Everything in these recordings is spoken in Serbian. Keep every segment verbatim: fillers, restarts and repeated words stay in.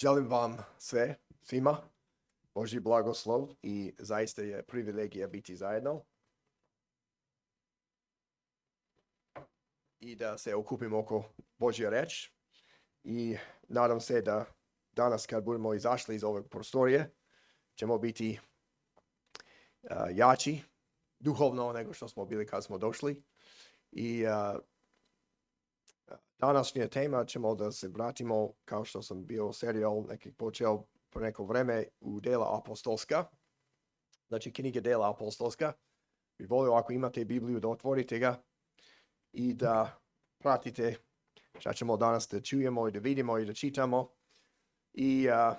Želim vam sve, svima, Božji blagoslov i zaista je privilegija biti zajedno. I da se okupimo oko Božje reč. I nadam se da danas kad budemo izašli iz ove prostorije, ćemo biti uh, jači duhovno nego što smo bili kad smo došli. I uh, današnja tema ćemo da se vratimo, kao što sam bio serijal nekih počeo pre neko vreme, u dela apostolska. Znači knjige dela apostolska. Bi volio ako imate Bibliju da otvorite ga i da pratite šta ćemo danas da čujemo i da vidimo i da čitamo. I uh,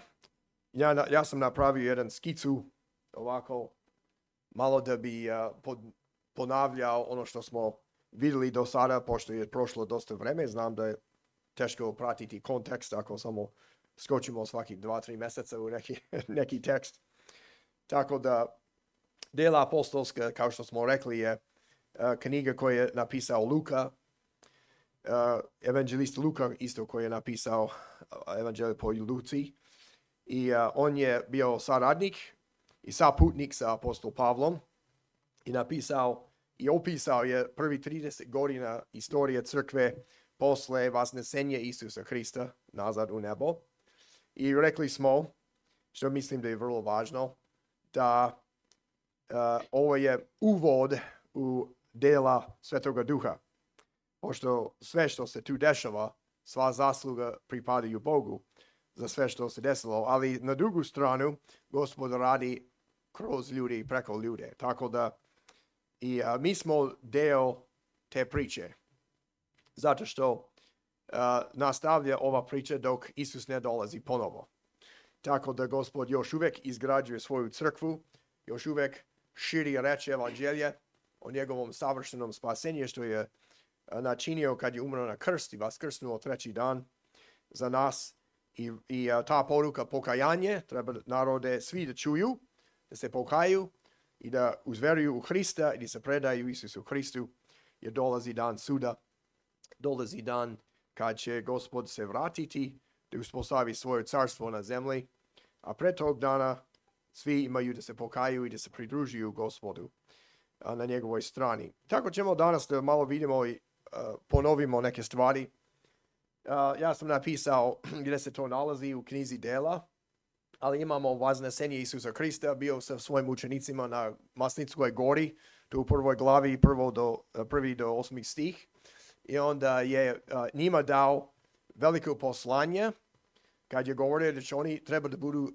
ja, ja sam napravio jedan skicu ovako malo da bi uh, pod, ponavljao ono što smo vidjeli do sada, pošto je prošlo dosta vreme. Znam da je teško pratiti kontekst ako samo skočimo svaki dva, tri mjeseca u neki, neki tekst. Tako da dela apostolska, kao što smo rekli, je uh, knjiga koju je napisao Luka, uh, evanđelist Luka isto koji je napisao uh, evanđelje po Luci. I uh, on je bio saradnik i saputnik sa apostol Pavlom i napisao i opisao je prvi trideset godina istorije crkve posle vasnesenja Isusa Hrista nazad u nebo. I rekli smo, što mislim da je vrlo važno, da uh, ovo je uvod u dela Svetoga Duha. Pošto sve što se tu dešava, sva zasluga pripadaju Bogu za sve što se desilo. Ali na drugu stranu, Gospod radi kroz ljude i preko ljude. Tako da i uh, mi smo deo te priče. Zato što uh, nastavlja ova priča dok Isus ne dolazi ponovo. Tako da Gospod još uvijek izgrađuje svoju crkvu, još uvijek širi reč evanđelje o njegovom savršenom spasenju što je uh, načinio kad je umro na krst i vaskrsnuo treći dan za nas. I, i uh, ta poruka pokajanje treba narode svi da čuju, da se pokaju i da uzveruju u Hrista i da se predaju Isusu Hristu, jer dolazi dan suda, dolazi dan kad će Gospod se vratiti da uspostavi svoje carstvo na zemlji, a pre tog dana svi imaju da se pokaju i da se pridružuju Gospodu a, na njegovoj strani. Tako ćemo danas da malo vidimo i a, ponovimo neke stvari. A, ja sam napisao gdje se to nalazi u knjizi dela, ali imamo vaznesenje Isusa Hrista, bio sa svojim učenicima na Masnickoj gori, tu u prvoj glavi, prvo do, prvi do osmi stih. I onda je uh, njima dao veliko poslanje, kad je govorio da će oni treba da budu uh,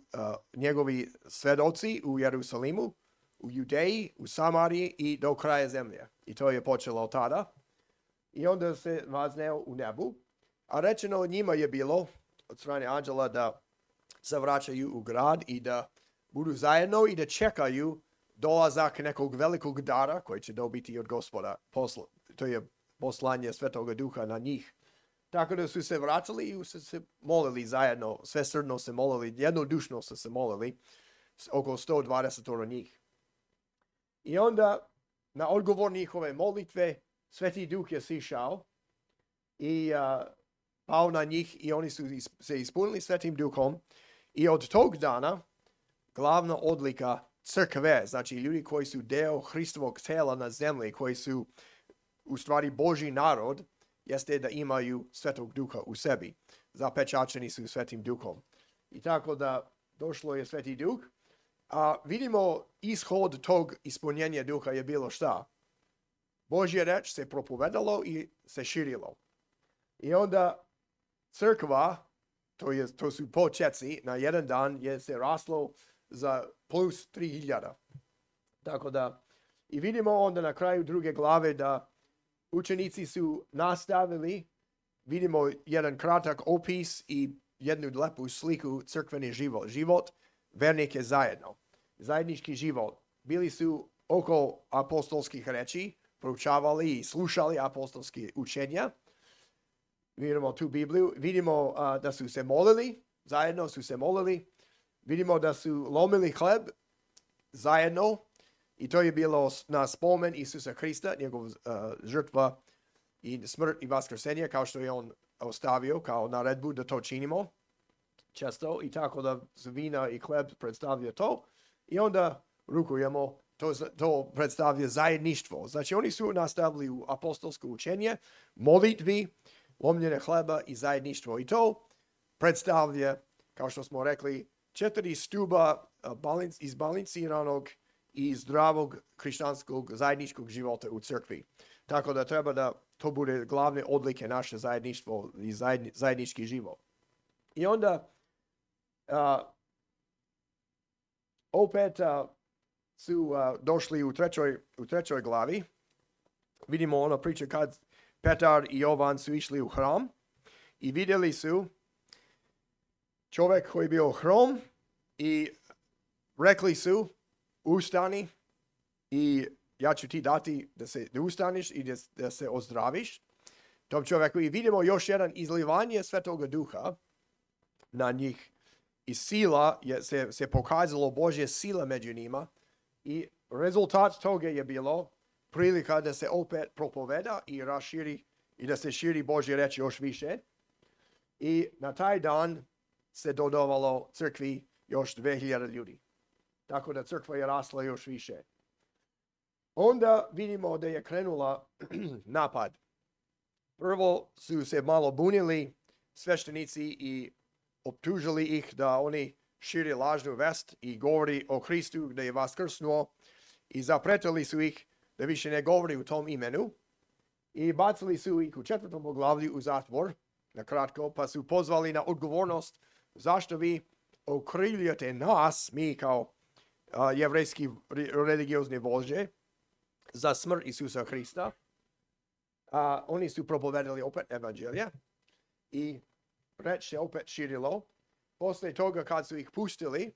njegovi svedoci u Jerusalimu, u Judeji, u Samariji i do kraja zemlje. I to je počelo od tada. I onda se vazneo u nebu. A rečeno njima je bilo od strane anđela da se vraćaju u grad i da budu zajedno i da čekaju dolazak nekog velikog dara koji će dobiti od Gospoda. Posla, to je poslanje Svetoga Duha na njih. Tako da su se vratili i su se molili zajedno, sve srdno se molili, jednodušno su se molili, oko sto dvadeset njih. I onda na odgovor njihove molitve Sveti Duh je sišao i uh, pao na njih i oni su se ispunili Svetim Duhom. I od tog dana glavna odlika crkve, znači ljudi koji su deo Hristovog tela na zemlji, koji su u stvari Božji narod, jeste da imaju Svetog Duha u sebi. Zapečačeni su Svetim Duhom. I tako da došlo je Sveti Duh. A vidimo ishod tog ispunjenja Duha je bilo šta? Božje reč se propovedalo i se širilo. I onda crkva, to, je, to su početci, na jedan dan je se raslo za plus tri hiljade. Tako da, i vidimo onda na kraju druge glave da učenici su nastavili, vidimo jedan kratak opis i jednu lepu sliku crkveni život. Život vernike zajedno. Zajednički život. Bili su oko apostolskih reči, proučavali i slušali apostolske učenja. Vidimo tu Bibliju. Vidimo uh, da su se molili, zajedno su se molili. Vidimo da su lomili hleb zajedno. I to je bilo na spomen Isusa Hrista, njegov uh, žrtva i smrt i vaskrsenje, kao što je on ostavio kao naredbu da to činimo. često i tako da vina i hleb predstavlja to i onda rukujemo, to, to predstavlja zajedništvo. Znači oni su nastavili u apostolsko učenje, molitvi, lomljenje hleba i zajedništvo i to predstavlja, kao što smo rekli, četiri stuba balanc, izbalansiranog i zdravog hrišćanskog zajedničkog života u crkvi. Tako da treba da to bude glavne odlike naše zajedništvo i zajedni, zajednički život. I onda uh, opet uh, su uh, došli u trećoj, u trećoj glavi. Vidimo ono priča kad Petar i Jovan su išli u hram i vidjeli su čovjek koji je bio hrom i rekli su ustani i ja ću ti dati da se da ustaniš i da, da se ozdraviš. Tom čovjeku i vidimo još jedan izlivanje Svetoga Duha na njih i sila je se, se pokazalo Božja sila među njima i rezultat toga je bilo prilika da se opet propoveda i raširi i da se širi Božja reč još više. I na taj dan se dodavalo crkvi još dve hiljade ljudi. Tako da crkva je rasla još više. Onda vidimo da je krenula napad. Prvo su se malo bunili sveštenici i optužili ih da oni širi lažnu vest i govori o Hristu da je vaskrsnuo i zapretili su ih da više ne govori u tom imenu i bacili su ih u četvrtom poglavlju u zatvor, na kratko, pa su pozvali na odgovornost zašto vi okrivljujete nas, mi kao uh, jevrejski religiozni vođe, za smrt Isusa Hrista. Uh, oni su propovedali opet evanđelje i reč se opet širilo. Poslije toga kad su ih pustili,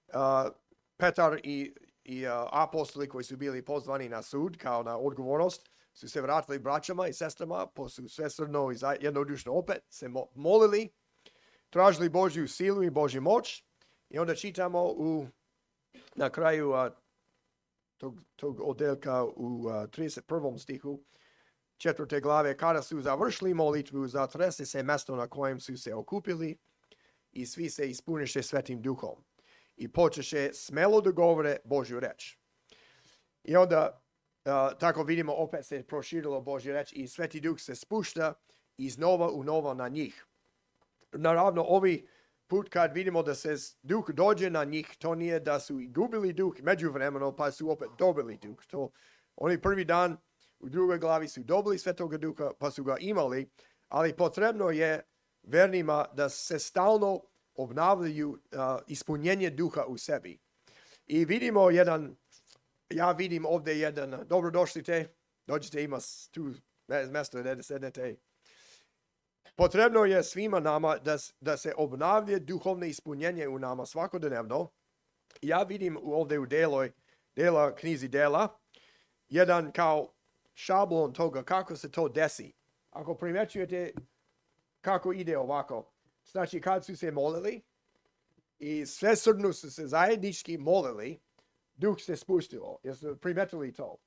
uh, Petar i, i uh, apostoli koji su bili pozvani na sud kao na odgovornost, su se vratili braćama i sestrama, pa su svesrdno i jednodušno opet se molili, tražili Božju silu i Božju moć i onda čitamo u, na kraju uh, tog, tog odeljka u uh, trideset prvom stihu četvrte glave, kada su završili molitvu, zatrese se mjesto na kojem su se okupili i svi se ispuniše Svetim Duhom i počeše smelo da govore Božju reč. I onda uh, tako vidimo opet se proširilo Božju reč i Sveti Duh se spušta iznova u novo na njih. Naravno, ovi put kad vidimo da se duh dođe na njih, to nije da su gubili duh međuvremeno pa su opet dobili duh. To, oni prvi dan u drugoj glavi su dobili Svetoga Duha pa su ga imali, ali potrebno je vernima da se stalno obnavljaju uh, ispunjenje duha u sebi. I vidimo jedan, ja vidim ovdje jedan, dobrodošlite, dođite, ima tu mjesto da sednete. Potrebno je svima nama da, da se obnavlja duhovne ispunjenje u nama svakodnevno. Ja vidim ovdje u deloj, dela, knjizi dela, jedan kao šablon toga kako se to desi. Ako primećujete kako ide ovako, znači kad su se molili i svesrdno su se zajednički molili, duh se spustilo. Jeste primetili to?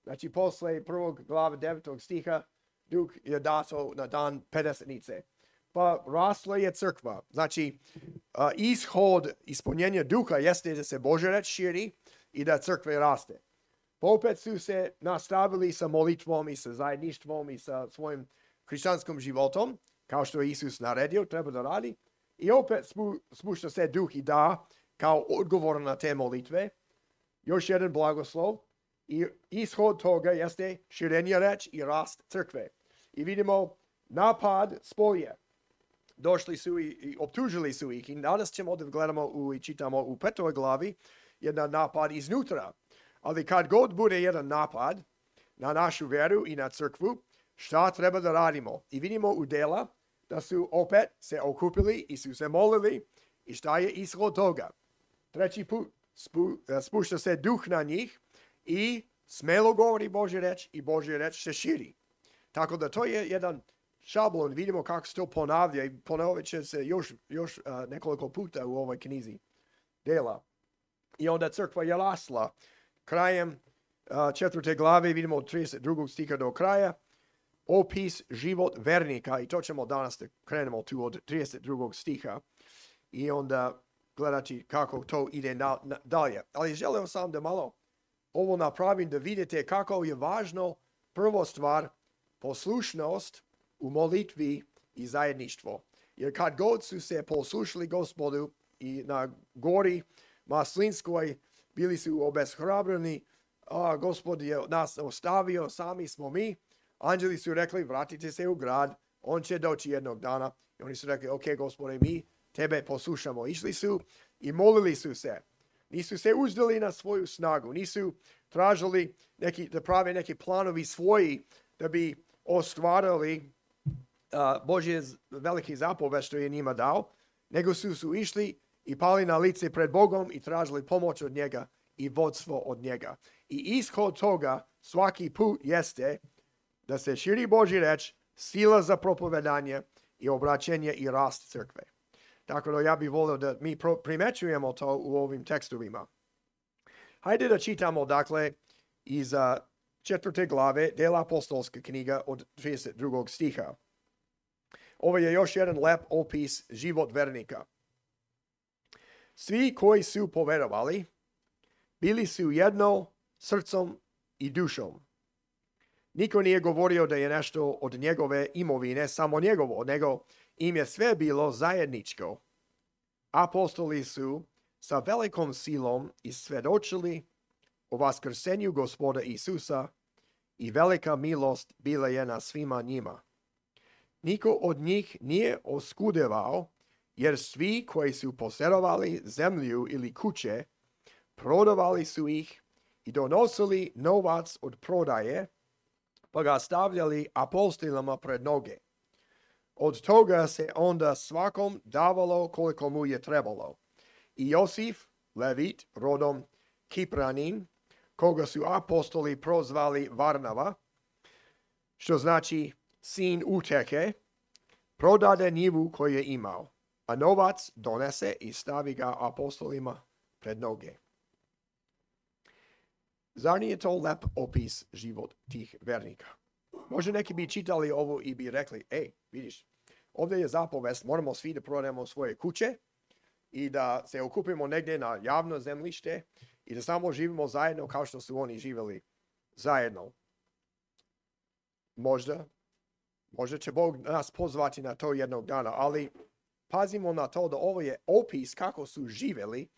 Znači posle prvog glave devetog stiha duh je dato na dan pedesetnice. Pa rasla je crkva. Znači uh, ishod ispunjenja duha jeste da se Božja reč širi i da crkva raste. Pa opet su se nastavili sa molitvom i sa zajedništvom i sa svojim hrišćanskim životom, kao što je Isus naredio, treba da radi. I opet spu, spušta se duh i da, kao odgovor na te molitve, još jedan blagoslov. I ishod toga jeste širenje reč i rast crkve. I vidimo napad s polje. Došli su i, i optužili su ih. I danas ćemo da gledamo u, i čitamo u petoj glavi jedan napad iznutra. Ali kad god bude jedan napad na našu vjeru i na crkvu, šta treba da radimo? I vidimo u dela da su opet se okupili i su se molili i šta je ishod toga. Treći put spu, spušta se duh na njih i smelo govori Božja reč i Božja reč se širi. Tako da to je jedan šablon, vidimo kako se to ponavlja i ponovit će se još, još uh, nekoliko puta u ovoj knjizi dela. I onda crkva je rasla. Krajem uh, četvrte glave vidimo od trideset drugog stiha do kraja opis život vernika i to ćemo danas da krenemo tu od trideset drugog stiha. i onda gledati kako to ide na, na, dalje. Ali želeo sam da malo ovo napravim da vidite kako je važno prvo stvar poslušnost u molitvi i zajedništvo. Jer kad god su se poslušali Gospodu i na gori Maslinskoj bili su obeshrabreni, a Gospod je nas ostavio, sami smo mi. Anđeli su rekli, vratite se u grad, on će doći jednog dana. I oni su rekli, ok, Gospode, mi tebe poslušamo. Išli su i molili su se. Nisu se uzdali na svoju snagu. Nisu tražili neki, da prave neki planovi svoji da bi ostvarili uh, Božje veliki zapoved što je njima dao. Nego su, su išli i pali na lice pred Bogom i tražili pomoć od njega i vodstvo od njega. I ishod toga svaki put jeste da se širi Božji reč, sila za propovedanje i obraćenje i rast crkve. Tako da ja bih volio da mi primećujemo to u ovim tekstovima. Hajde da čitamo, dakle, iz četvrte glave Dela apostolska knjiga od trideset drugog stiha. Ovo je još jedan lep opis život vernika. Svi koji su poverovali, bili su jedno srcom i dušom. Niko nije govorio da je nešto od njegove imovine samo njegovo, nego im je sve bilo zajedničko. Apostoli su sa velikom silom isvjedočili o vaskrsenju Gospoda Isusa i velika milost bila je na svima njima. Niko od njih nije oskudevao, jer svi koji su posjedovali zemlju ili kuće, prodavali su ih i donosili novac od prodaje, pa ga stavljali apostolima pred noge. Od toga se onda svakom davalo koliko mu je trebalo. I Josif, Levit, rodom Kipranin, koga su apostoli prozvali Varnava, što znači sin uteke, prodade njivu koju je imao, a novac donese i stavi ga apostolima pred noge. Zar nije to lep opis život tih vernika? Možda neki bi čitali ovo i bi rekli, ej, vidiš, ovdje je zapovest, moramo svi da prodajemo svoje kuće i da se okupimo negdje na javno zemljište i da samo živimo zajedno kao što su oni živjeli zajedno. Možda, možda će Bog nas pozvati na to jednog dana, ali pazimo na to da ovo je opis kako su živjeli.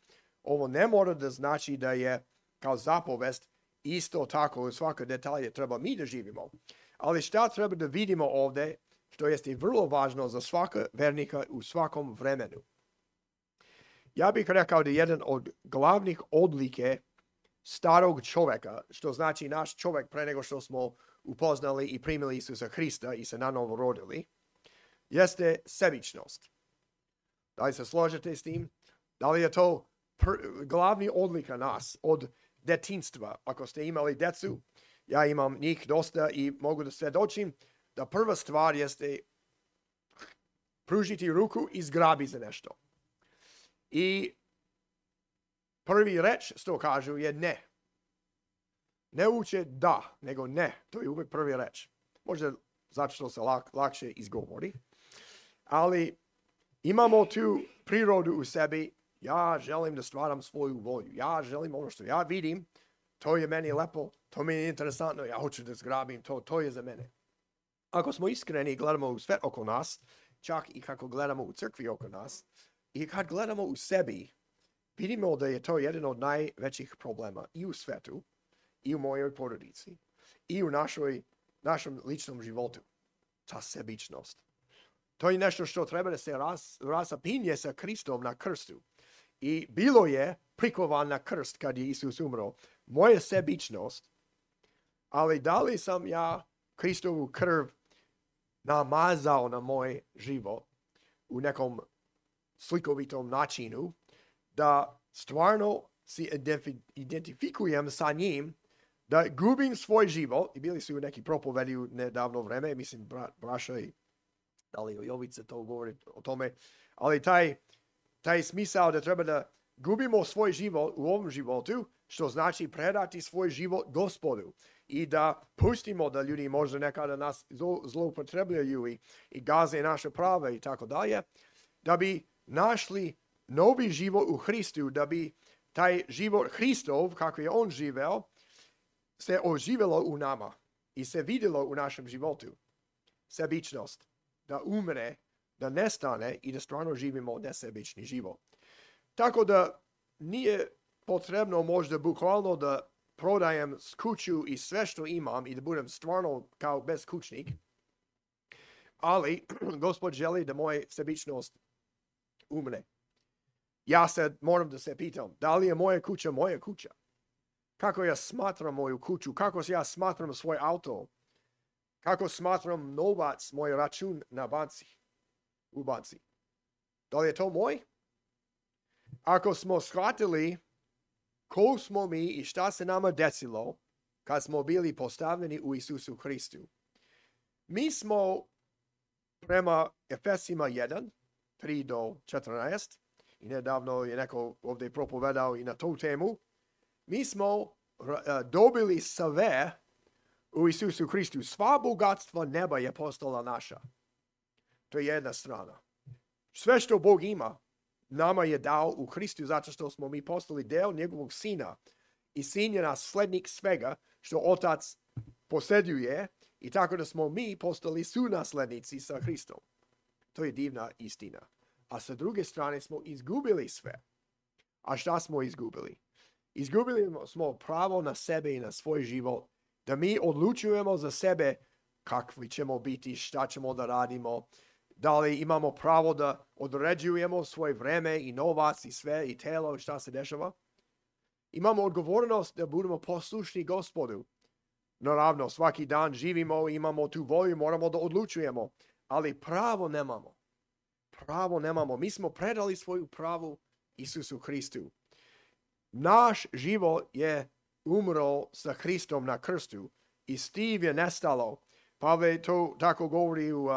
Ovo ne mora da znači da je kao zapovest isto tako u svakoj detalje treba mi da živimo. Ali šta treba da vidimo ovdje, što jeste vrlo važno za svaka vernika u svakom vremenu. Ja bih rekao da jedan od glavnih odlike starog čovjeka, što znači naš čovjek pre nego što smo upoznali i primili Isusa Hrista i se nanovo rodili, jeste sebičnost. Da li se složite s tim? Da li je to pr- glavni odlika nas od detinjstva? Ako ste imali decu, ja imam njih dosta i mogu da svjedočim da prva stvar jeste pružiti ruku i zgrabi za nešto. I prvi reč što kažu je ne. Ne uče da, nego ne. To je uvijek prvi reč. Možda zato što se lak, lakše izgovori. Ali imamo tu prirodu u sebi. Ja želim da stvaram svoju volju. Ja želim ono što ja vidim. To je meni lepo. To mi je interesantno. Ja hoću da zgrabim to. To je za mene. Ako smo iskreni i gledamo u svet oko nas, čak i kako gledamo u crkvi oko nas, i kad gledamo u sebi, vidimo da je to jedan od najvećih problema i u svetu, i u mojoj porodici, i u našoj, našem ličnom životu. Ta sebičnost. To je nešto što treba da se ras, rasapinje sa Kristom na krstu. I bilo je prikovan na krst kad je Isus umro. Moja sebičnost, ali da li sam ja Kristovu krv namazao na moj život u nekom slikovitom načinu, da stvarno si identifikujem sa njim, da gubim svoj život, i bili su neki propovedi u nedavno vreme, mislim bra, Braša i da li Jovica to govori o tome, ali taj, taj smisao da treba da gubimo svoj život u ovom životu, što znači predati svoj život Gospodu i da pustimo da ljudi možda nekada nas zloupotrebljaju i, i gaze naše prave i tako dalje, da bi našli novi život u Hristu, da bi taj život Hristov, kako je on živeo, se oživelo u nama i se vidjelo u našem životu. Sebičnost, da umre, da nestane i da stvarno živimo nesebični život. Tako da nije potrebno možda bukvalno da prodajem kuću i sve što imam i da budem stvarno kao beskućnik, ali Gospod želi da moja sebičnost umre. Ja sad moram da se pitam, da li je moja kuća moja kuća? Kako ja smatram moju kuću? Kako ja smatram svoj auto? Kako smatram novac, moj račun na banci? U banci. Da li je to moj? Ako smo shvatili ko smo mi i šta se nama desilo kad smo bili postavljeni u Isusu Hristu, mi smo prema Efesima jedan, tri do četrnaest, i nedavno je neko ovdje propovedao i na tu temu, mi smo uh, dobili sve u Isusu Hristu. Sva bogatstva neba je postala naša. To je jedna strana. Sve što Bog ima, nama je dao u Hristu zato što smo mi postali deo njegovog sina. I sin je naslednik svega što otac posjeduje i tako da smo mi postali sunaslednici sa Hristom. To je divna istina. A sa druge strane smo izgubili sve. A šta smo izgubili? Izgubili smo pravo na sebe i na svoj život. Da mi odlučujemo za sebe kakvi ćemo biti, šta ćemo da radimo. Da li imamo pravo da određujemo svoje vreme i novac i sve i telo i šta se dešava. Imamo odgovornost da budemo poslušni Gospodu. Naravno, svaki dan živimo, imamo tu volju, moramo da odlučujemo. Ali pravo nemamo. Pravo nemamo. Mi smo predali svoju pravu Isusu Hristu. Naš život je umro sa Hristom na krstu i Steve je nestalo. Pavle to tako govori u uh,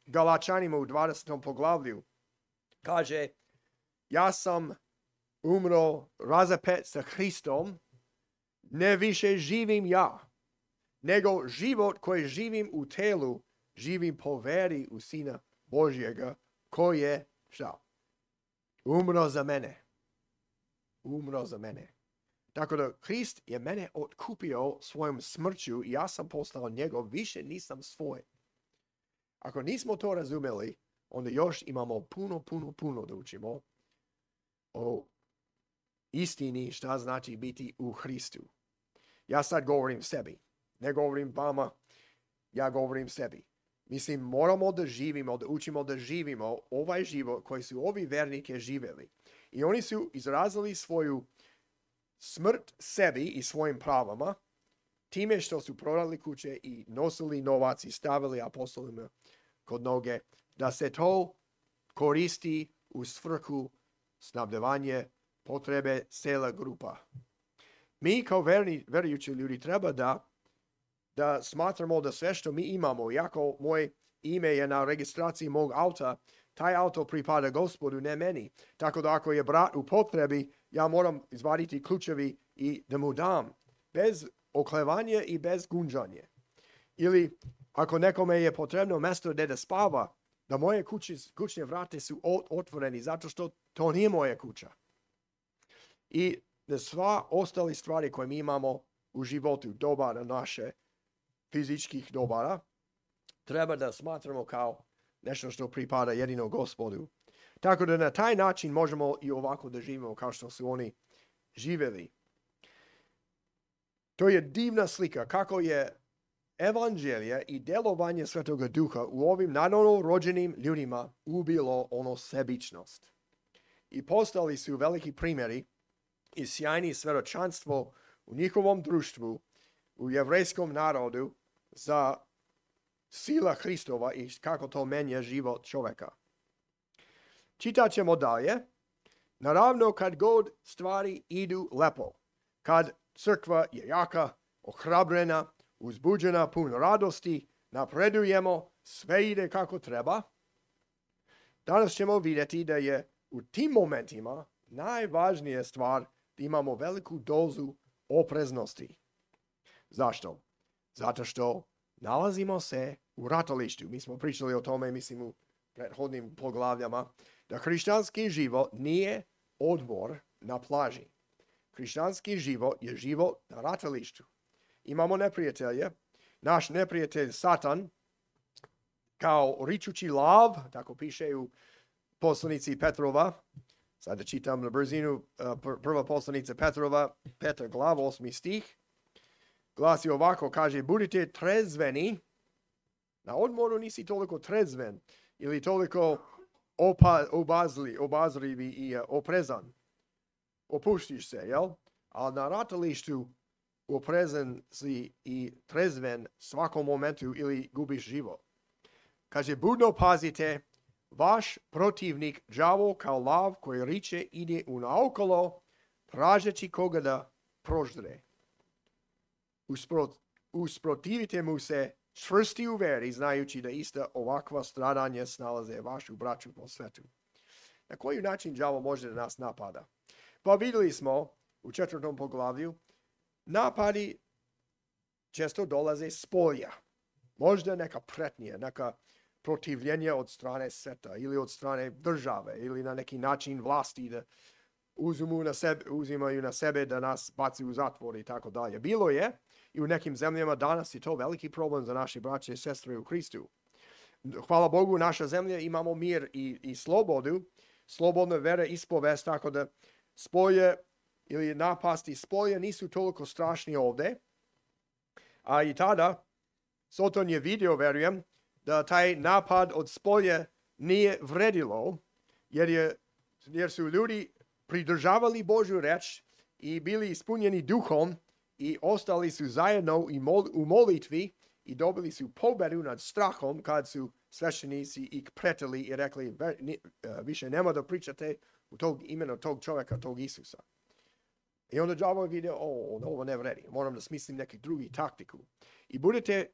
Galačanima u dvadesetom poglavlju. Kaže, ja sam umro razapet sa Hristom, ne više živim ja, nego život koji živim u telu, živim po veri u Sina Božjega, koji je, šta? Umro za mene. Umro za mene. Tako da Hrist je mene otkupio svojom smrću i ja sam postao njegov, više nisam svoj. Ako nismo to razumeli, onda još imamo puno, puno, puno da učimo o istini šta znači biti u Hristu. Ja sad govorim sebi, ne govorim vama, ja govorim sebi. Mislim, moramo da živimo, da učimo da živimo ovaj život koji su ovi vernike živjeli. I oni su izrazili svoju smrt sebi i svojim pravama, time što su prodali kuće i nosili novac i stavili apostolima kod noge, da se to koristi u svrhu snabdevanje potrebe cela grupa. Mi kao verni, verujući ljudi treba da, da smatramo da sve što mi imamo, iako moje ime je na registraciji mog auta, taj auto pripada Gospodu, ne meni. Tako da ako je brat u potrebi, ja moram izvaditi ključevi i da mu dam. Bez oklevanja i bez gunđanja. Ili ako nekome je potrebno mjesto gdje da spava, da moje kuće, kućne vrate su otvoreni zato što to nije moja kuća. I da sva ostale stvari koje mi imamo u životu, dobara naše, fizičkih dobara, treba da smatramo kao nešto što pripada jedino Gospodu. Tako da na taj način možemo i ovako da živimo kao što su oni živjeli. To je divna slika kako je evanđelje i delovanje Svetoga Duha u ovim nanovo rođenim ljudima ubilo ono sebičnost. I postali su veliki primjeri i sjajni svedočanstvo u njihovom društvu, u jevrejskom narodu za sila Hristova i kako to menja život čovjeka. Čitat ćemo dalje. Naravno, kad god stvari idu lepo, kad crkva je jaka, ohrabrena, uzbuđena, puno radosti, napredujemo, sve ide kako treba, danas ćemo vidjeti da je u tim momentima najvažnija stvar da imamo veliku dozu opreznosti. Zašto? Zato što nalazimo se u ratalištu. Mi smo pričali o tome, mislim, u prethodnim poglavljama, da hrišćanski život nije odmor na plaži. Hrišćanski život je život na ratalištu. Imamo neprijatelje. Naš neprijatelj Satan, kao ričući lav, tako piše u poslanici Petrova, sada čitam na brzinu, prva poslanica Petrova, peta glava, osmi stih, glasi ovako, kaže, budite trezveni, na odmoru nisi toliko trezven, ili toliko opa, obazli, obazrivi i uh, oprezan. Opuštiš se, jel? Ali na ratalištu oprezan si i trezven svakom momentu ili gubiš život. Kaže, budno pazite, vaš protivnik đavo kao lav koji riče ide unaokolo, tražeći koga da proždre. Usprot, usprotivite mu se čvrsti u veri, znajući da ista ovakva stradanja snalaze vašu braću po svetu. Na koji način đavo može da nas napada? Pa vidjeli smo u četvrtom poglavlju, napadi često dolaze s polja. Možda neka pretnja, neka protivljenje od strane sveta ili od strane države ili na neki način vlasti da uzmu na sebe, uzimaju na sebe da nas baci u zatvor i tako dalje. Bilo je i u nekim zemljama danas je to veliki problem za naše braće i sestre u Hristu. Hvala Bogu, naša zemlja imamo mir i, i slobodu, slobodna vera ispovest, tako da spolje ili napasti spolje nisu toliko strašni ovdje. A i tada Soton je vidio, verujem, da taj napad od spolja nije vredilo, jer, je, jer su ljudi pridržavali Božju reč i bili ispunjeni duhom i ostali su zajedno u molitvi i dobili su pobedu nad strahom kad su sveštenici ih pretili i rekli više nema da pričate u tog imena tog čovjeka, tog Isusa. I onda đavo je vidio, o, ovo ne vredi, moram da smislim neki drugi taktiku. I budete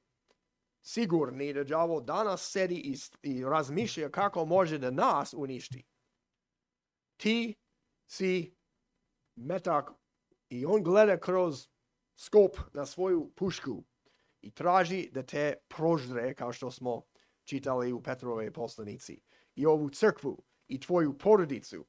sigurni da đavo danas sedi i, i razmišlja kako može da nas uništi. Ti si metak i on gleda kroz skop na svoju pušku i traži da te proždre, kao što smo čitali u Petrove poslanici, i ovu crkvu i tvoju porodicu.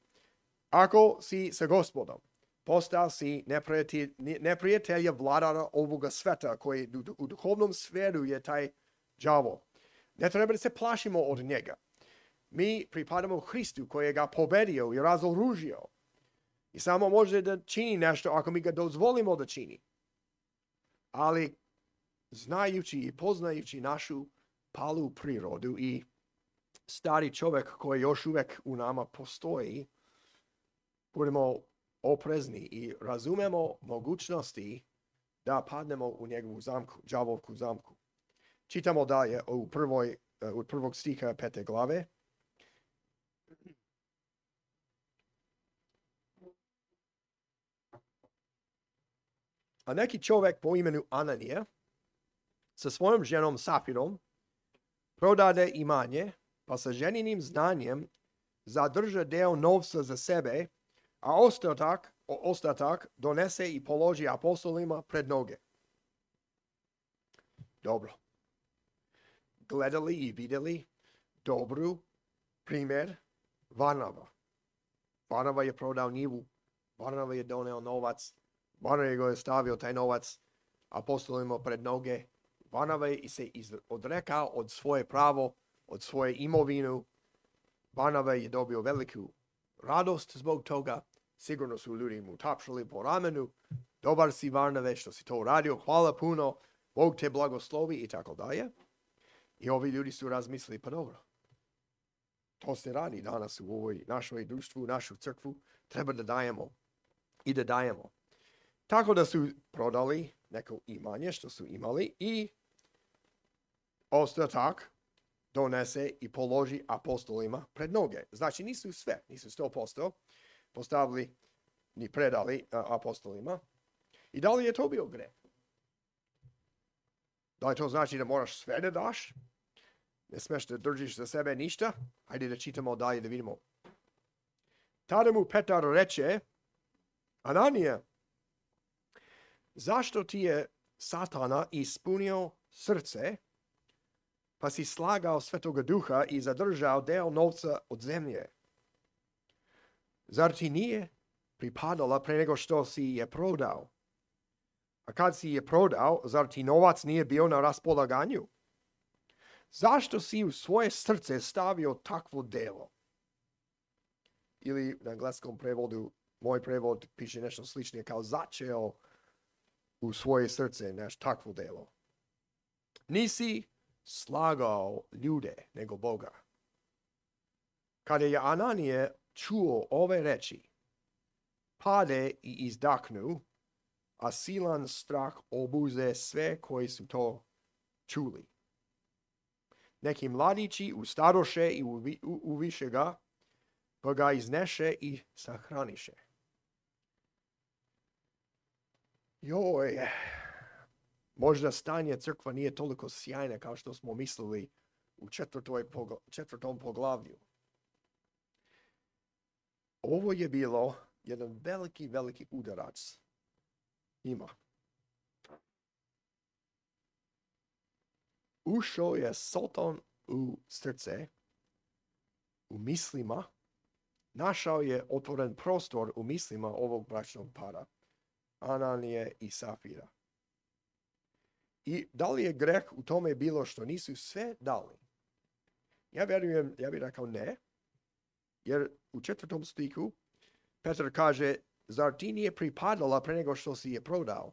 Ako si sa Gospodom, postao si neprijatelj, neprijatelja vladara ovoga sveta koji u duhovnom sferu je taj đavo. Ne treba da se plašimo od njega. Mi pripadamo Hristu koji ga pobedio i razoružio. I samo može da čini nešto ako mi ga dozvolimo da čini. Ali znajući i poznajući našu palu prirodu i stari čovjek koji još uvijek u nama postoji, budemo oprezni i razumemo mogućnosti da padnemo u njegovu zamku, đavovu zamku. Čitamo dalje u prvoj, od prvog stiha pete glave. A neki čovjek po imenu Ananija sa svojom ženom Safirom prodade imanje, pa sa ženinim znanjem zadrža deo novca za sebe, a ostatak, ostatak donese i položi apostolima pred noge. Dobro. Gledali i vidjeli dobru primjer Varnava. Varnava je prodao njivu, Varnava je doneo novac, Varnava je stavio taj novac apostolima pred noge. Varnava je se odrekao od svoje pravo, od svoje imovinu. Varnava je dobio veliku radost zbog toga. Sigurno su ljudi mu tapšali po ramenu. Dobar si Varnave što si to radio, hvala puno, Bog te blagoslovi i tako dalje. I ovi ljudi su razmislili, pa dobro, to se radi danas u ovoj našoj društvu, u našu crkvu, treba da dajemo i da dajemo. Tako da su prodali neko imanje što su imali i ostatak donese i položi apostolima pred noge. Znači nisu sve, nisu sto posto postavili ni predali a, apostolima. I da li je to bio greh? Da li to znači da moraš sve da daš? Ne smeš da držiš za sebe ništa? Hajde da čitamo dalje da vidimo. Tada mu Petar reče, Ananija, zašto ti je Satana ispunio srce pa si slagao Svetoga Duha i zadržao deo novca od zemlje. Zar ti nije pripadala pre nego što si je prodao? A kad si je prodao, zar ti novac nije bio na raspolaganju? Zašto si u svoje srce stavio takvo delo? Ili na engleskom prevodu, moj prevod piše nešto sličnije kao začeo u svoje srce nešto takvo delo. Nisi slagao ljude nego Boga. Kada je Ananije čuo ove reči, pade i izdahnu, a silan strah obuze sve koji su to čuli. Neki mladići ustadoše i uviše ga, pa ga izneše i sahraniše. Joj, možda stanje crkva nije toliko sjajne kao što smo mislili u četvrtom poglavlju. Ovo je bilo jedan veliki, veliki udarac ima. Ušao je Satan u srce, u mislima, našao je otvoren prostor u mislima ovog bračnog para, Ananije i Safira. I da li je greh u tome bilo što nisu sve dali? Ja vjerujem, ja bih rekao ne, jer u četvrtom stihu Petar kaže, zar ti nije pripadala pre nego što si je prodao?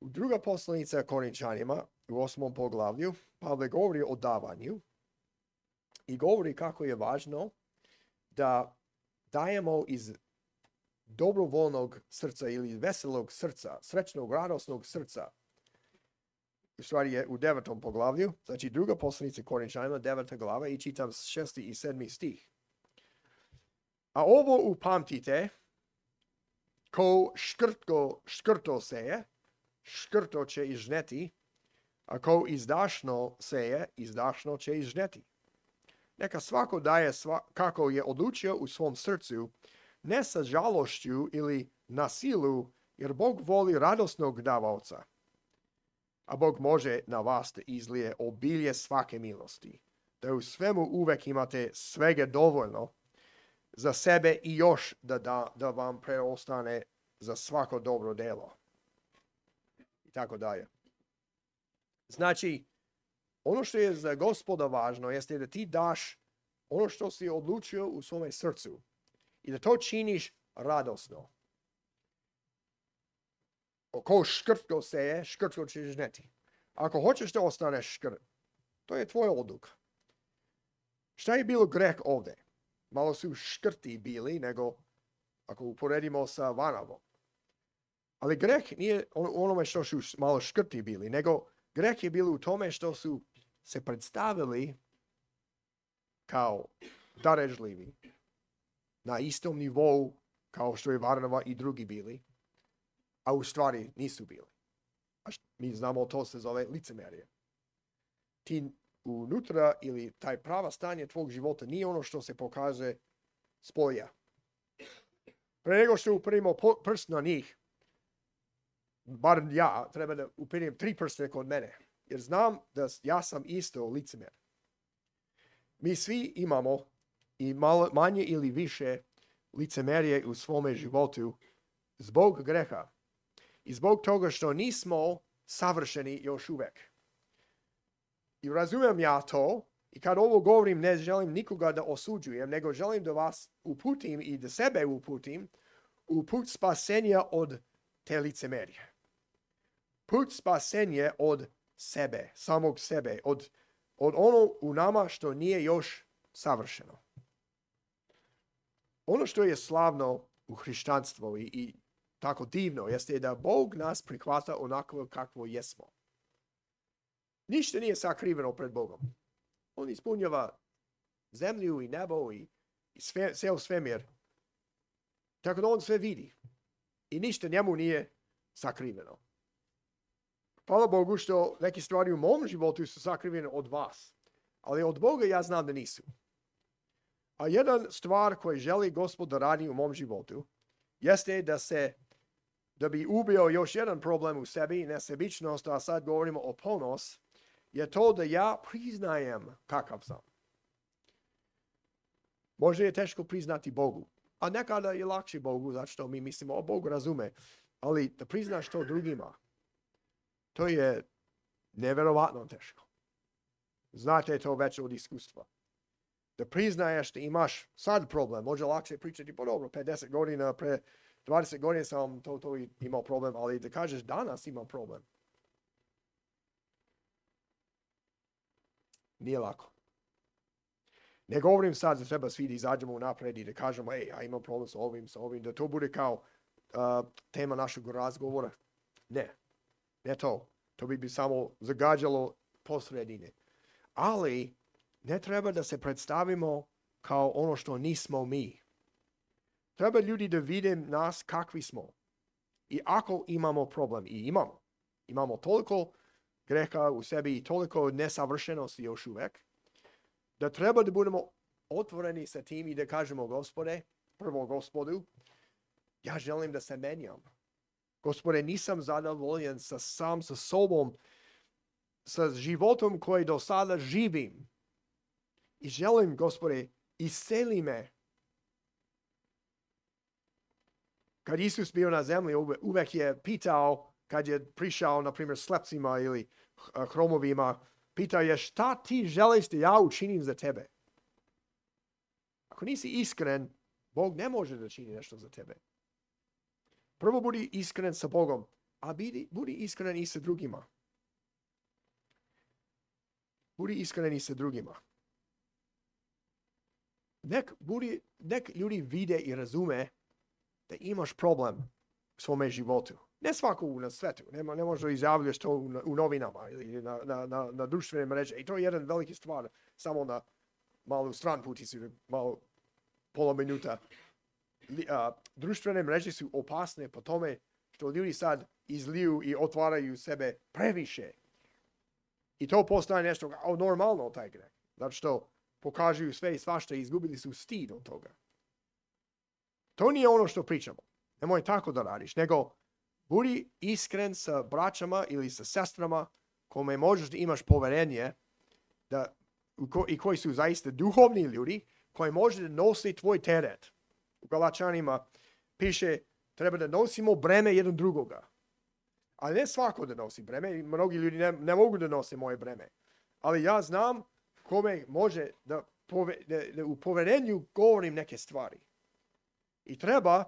U druga poslanica Korinčanima, u osmom poglavlju, Pavle govori o davanju i govori kako je važno da dajemo iz dobrovoljnog srca ili veselog srca, srećnog, radosnog srca. U stvari je u devetom poglavlju, znači druga poslanica Korinčanima, deveta glava i čitam šesti i sedmi stih. A ovo upamtite, ko škrto, škrto seje, škrto će i žneti, a ko izdašno seje, izdašno će i žneti. Neka svako daje sva, kako je odlučio u svom srcu, ne sa žalošću ili na silu, jer Bog voli radosnog davaoca. A Bog može na vas da izlije obilje svake milosti, da u svemu uvek imate svega dovoljno za sebe i još da, da, da vam preostane za svako dobro delo. I tako dalje. Znači, ono što je za Gospoda važno jeste da ti daš ono što si odlučio u svome srcu i da to činiš radosno. Ko škrtko seje, škrtko ćeš žneti. Ako hoćeš da ostaneš škrt, to je tvoja odluka. Šta je bilo greh ovdje? Malo su škrti bili, nego ako uporedimo sa Vanavom. Ali greh nije onome što su malo škrti bili, nego greh je bilo u tome što su se predstavili kao darežljivi na istom nivou kao što je Varnava i drugi bili, a u stvari nisu bili. A mi znamo, to se zove licemerje. Ti unutra ili taj prava stanje tvog života nije ono što se pokaže s polja. Pre nego što uperimo prst na njih, bar ja, treba da uperim tri prste kod mene, jer znam da ja sam isto licemer. Mi svi imamo i malo, manje ili više licemerje u svome životu zbog greha i zbog toga što nismo savršeni još uvek. I razumijem ja to i kad ovo govorim ne želim nikoga da osuđujem, nego želim da vas uputim i da sebe uputim u put spasenja od te licemerje. Put spasenja od sebe, samog sebe, od, od ono u nama što nije još savršeno. Ono što je slavno u hrišćanstvu i, i tako divno jeste da Bog nas prihvata onako kakvo jesmo. Ništa nije sakriveno pred Bogom. On ispunjava zemlju i nebo i, i sve, ceo svemir. Tako da on sve vidi. I ništa njemu nije sakriveno. Hvala Bogu što neke stvari u mom životu su sakrivene od vas. Ali od Boga ja znam da nisu. A jedan stvar koju želi Gospod da radi u mom životu jeste da se, da bi ubio još jedan problem u sebi, nesebičnost, a sad govorimo o ponos, je to da ja priznajem kakav sam. Može je teško priznati Bogu, a nekada je lakše Bogu, zato što mi mislimo, o, Bog razume, ali da priznaš to drugima, to je neverovatno teško. Znate to već od iskustva. Da priznaješ da imaš sad problem, može lakše pričati, pa dobro, pedeset godina, pre dvadeset godina sam to, to imao problem, ali da kažeš danas imam problem. Nije lako. Ne govorim sad da treba svi da izađemo napred i da kažemo, ej, ja imam problem sa ovim, sa ovim, da to bude kao uh, tema našeg razgovora. Ne, ne to. To bi bi samo zagađalo posredine. Ali ne treba da se predstavimo kao ono što nismo mi. Treba ljudi da vide nas kakvi smo. I ako imamo problem, i imamo, imamo toliko greha u sebi i toliko nesavršenosti još uvek, da treba da budemo otvoreni sa tim i da kažemo, Gospode, prvo Gospodu, ja želim da se menjam. Gospode, nisam zadovoljen sa sam sa sobom, sa životom koji do sada živim. I želim, Gospode, isceli me. Kad Isus bio na zemlji, uvek je pitao, kad je prišao, na primjer, slepcima ili hromovima, pitao je šta ti želiš da ja učinim za tebe. Ako nisi iskren, Bog ne može da čini nešto za tebe. Prvo budi iskren sa Bogom, a budi, budi iskren i sa drugima. Budi iskren i sa drugima. Nek, budi, nek ljudi vide i razume da imaš problem u svome životu. Ne svako na svetu. Ne, ne možeš da izjavljaš to u, u novinama ili na, na, na, na društvene mreže. I to je jedan veliki stvar. Samo na malu stran puticu, malo pola minuta. Uh, društvene mreže su opasne po tome što ljudi sad izliju i otvaraju sebe previše. I to postaje nešto o, normalno taj greh. Zato što pokažuju sve i svašta i izgubili su stid od toga. To nije ono što pričamo. Nemoj tako da radiš, nego budi iskren sa braćama ili sa sestrama kome možeš da imaš poverenje da, ko, i koji su zaista duhovni ljudi koji može da nosi tvoj teret. U Galačanima piše treba da nosimo breme jedan drugoga. Ali ne svako da nosi breme. Mnogi ljudi ne, ne mogu da nose moje breme. Ali ja znam kome može da, pove, da, da u poverenju govorim neke stvari. I treba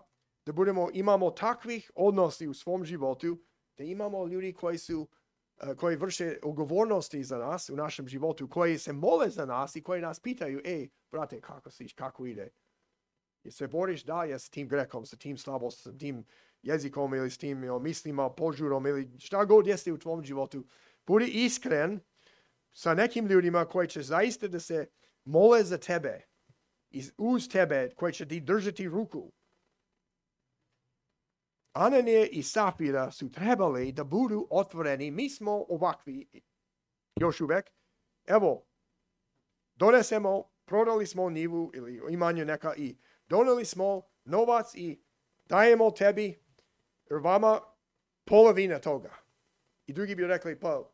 da budemo, imamo takvih odnosi u svom životu, da imamo ljudi koji su, uh, koji vrše odgovornosti za nas u našem životu, koji se mole za nas i koji nas pitaju, ej, brate, kako si, kako ide? Jer se boriš da je s tim grehom, sa tim slabostom, s tim jezikom ili s tim jo, mislima, požurom ili šta god jeste u tvom životu. Budi iskren sa nekim ljudima koji će zaista da se mole za tebe, uz tebe, koji će ti držati ruku. Ananije i Safira su trebali da budu otvoreni. Mi smo ovakvi još uvek. Evo, donesemo, prodali smo njivu ili imanje neka i doneli smo novac i dajemo tebi, jer vama polovina toga. I drugi bi rekli, pa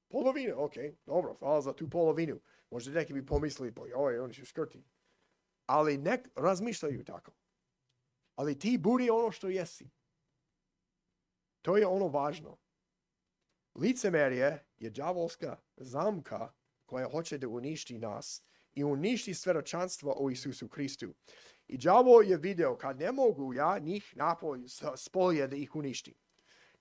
polovina, ok, dobro, hvala za tu polovinu. Možda neki bi pomislili, pa joj, oni su skrti. Ali nek razmišljaju tako. Ali ti budi ono što jesi. To je ono važno. Licemerje je đavolska zamka koja hoće da uništi nas i uništi svedočanstvo o Isusu Hristu. I đavo je video kad ne mogu ja njih napolje spolje da ih uništim.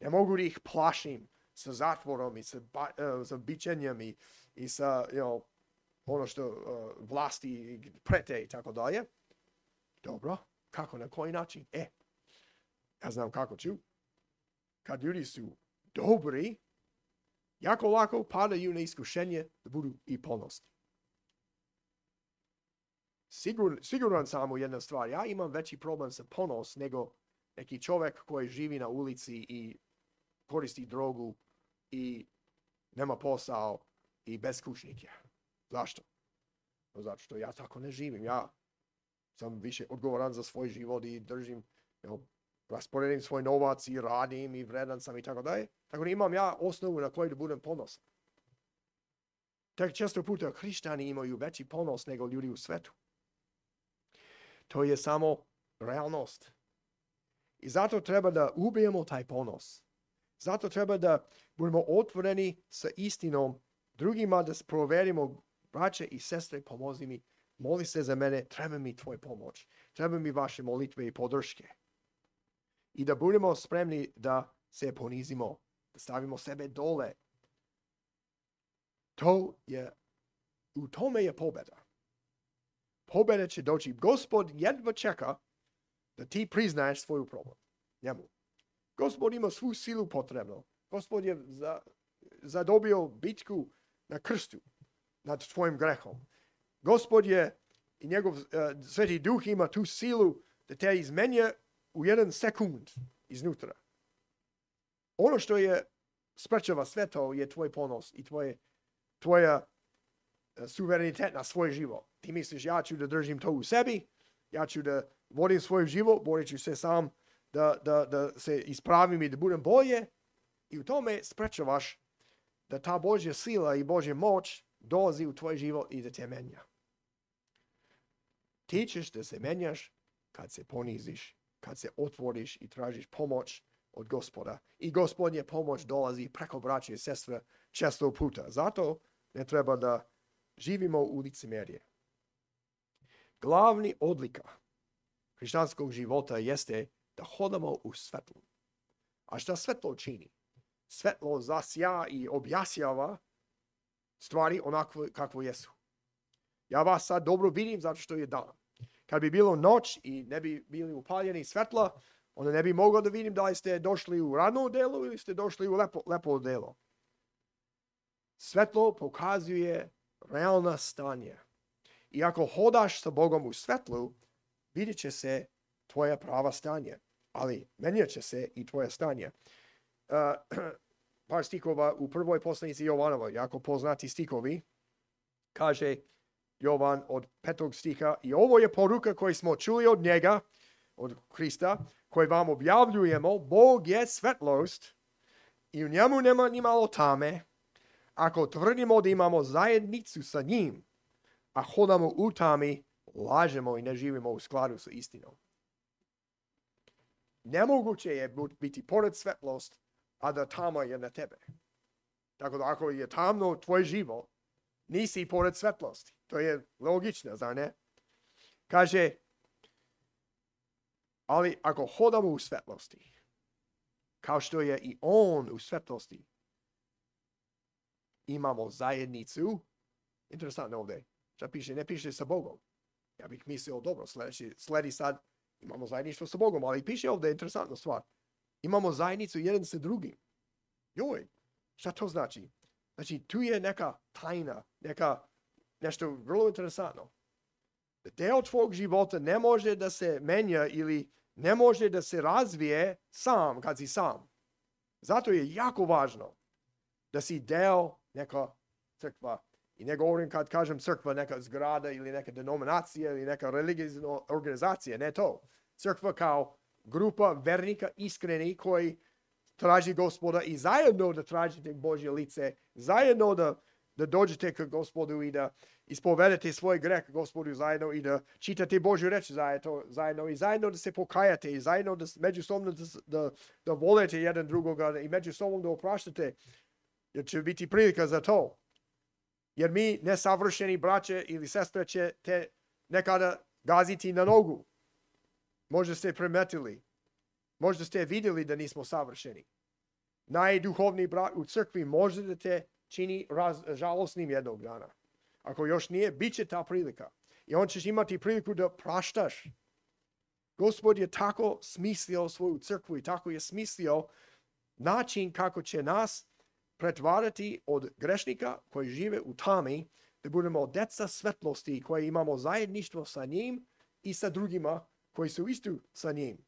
Ne mogu da ih plašim sa zatvorom i sa, ba, uh, sa bićenjem i, i sa you know, ono što uh, vlasti prete i tako dalje. Dobro, kako, na koji način? E, ja znam kako ću. Kad ljudi su dobri, jako lako padaju na iskušenje da budu i ponosni. Sigur, siguran sam u jedna stvar. Ja imam veći problem sa ponos nego neki čovjek koji živi na ulici i koristi drogu i nema posao i beskućnik je. Zašto? Zato što ja tako ne živim. Ja sam više odgovoran za svoj život i držim, you know, rasporedim svoj novac i radim i vredan sam i tako dalje. Tako da imam ja osnovu na kojoj da budem ponosan. Tak često puta hrišćani imaju veći ponos nego ljudi u svetu. To je samo realnost. I zato treba da ubijemo taj ponos. Zato treba da budemo otvoreni sa istinom drugima, da proverimo, braće i sestre, pomozi mi, moli se za mene, treba mi tvoj pomoć, treba mi vaše molitve i podrške. I da budemo spremni da se ponizimo, da stavimo sebe dole. To je, u tome je pobeda. Pobeda će doći. Gospod jedva čeka da ti priznaješ svoju problem njemu. Gospod ima svu silu potrebnu. Gospod je za, zadobio bitku na krstu nad tvojim grehom. Gospod je i njegov uh, Sveti Duh ima tu silu da te izmenja u jedan sekund iznutra. Ono što je sprečava sve to je tvoj ponos i tvoje, tvoja uh, suverenitet na svoj život. Ti misliš, ja ću da držim to u sebi, ja ću da vodim svoj život, borit ću se sam da, da, da se ispravim i da budem bolje. I u tome sprečavaš da ta Božja sila i Božja moć dolazi u tvoj život i da te menja. Ti ćeš da se menjaš kad se poniziš, kad se otvoriš i tražiš pomoć od Gospoda. I Gospodnje pomoć dolazi preko braće i sestre često puta. Zato ne treba da živimo u licemerje. Glavni odlika hrišćanskog života jeste da hodamo u svetlu. A šta svetlo čini? Svetlo zasja i objasjava stvari onako kakvo jesu. Ja vas sad dobro vidim zato što je dan. Kad bi bilo noć i ne bi bili upaljeni svetla, onda ne bi mogao da vidim da li ste došli u radno delo ili ste došli u lepo, lepo delo. Svetlo pokazuje realna stanje. I ako hodaš sa Bogom u svetlu, vidjet će se tvoja prava stanje. Ali menjat će se i tvoje stanje. Uh, par stikova u prvoj poslanici Jovanova, jako poznati stikovi, kaže Jovan od petog stiha, i ovo je poruka koju smo čuli od njega, od Hrista, koju vam objavljujemo, Bog je svetlost i u njemu nema ni malo tame. Ako tvrdimo da imamo zajednicu sa njim, a hodamo u tami, lažemo i ne živimo u skladu sa istinom. Nemoguće je biti pored svetlost, a da tama je na tebe. Tako da ako je tamno tvoj život, nisi pored svetlosti. To je logično, zar ne? Kaže, ali ako hodamo u svetlosti, kao što je i on u svetlosti, imamo zajednicu. Interesantno ovdje. Šta piše? Ne piše sa Bogom. Ja bih mislio, dobro, sledi, sledi sad, imamo zajedništvo sa Bogom, ali piše ovdje interesantna stvar. Imamo zajednicu jedan sa drugim. Joj, šta to znači? Znači, tu je neka tajna, neka, nešto vrlo interesantno. Deo tvog života ne može da se menja ili ne može da se razvije sam kad si sam. Zato je jako važno da si deo neka crkva. I ne govorim kad kažem crkva neka zgrada ili neka denominacija ili neka religijska organizacija, ne to. Crkva kao grupa vernika iskreni koji traži Gospoda i zajedno da tražite Božje lice, zajedno da, da dođete k Gospodu i da ispovedete svoj greh Gospodu zajedno i da čitate Božju reč zajedno, zajedno i zajedno da se pokajate i zajedno da međusobno da, da, da volete jedan drugoga i međusobno da opraštate, jer će biti prilika za to. Jer mi nesavršeni braće ili sestre će te nekada gaziti na nogu. Možda ste primetili. Možda ste vidjeli da nismo savršeni. Najduhovniji brat u crkvi može da te čini raz, žalosnim jednog dana. Ako još nije, bit će ta prilika. I on ćeš imati priliku da praštaš. Gospod je tako smislio svoju crkvu i tako je smislio način kako će nas pretvarati od grešnika koji žive u tami, da budemo deca svetlosti koji imamo zajedništvo sa njim i sa drugima koji su isto sa njim.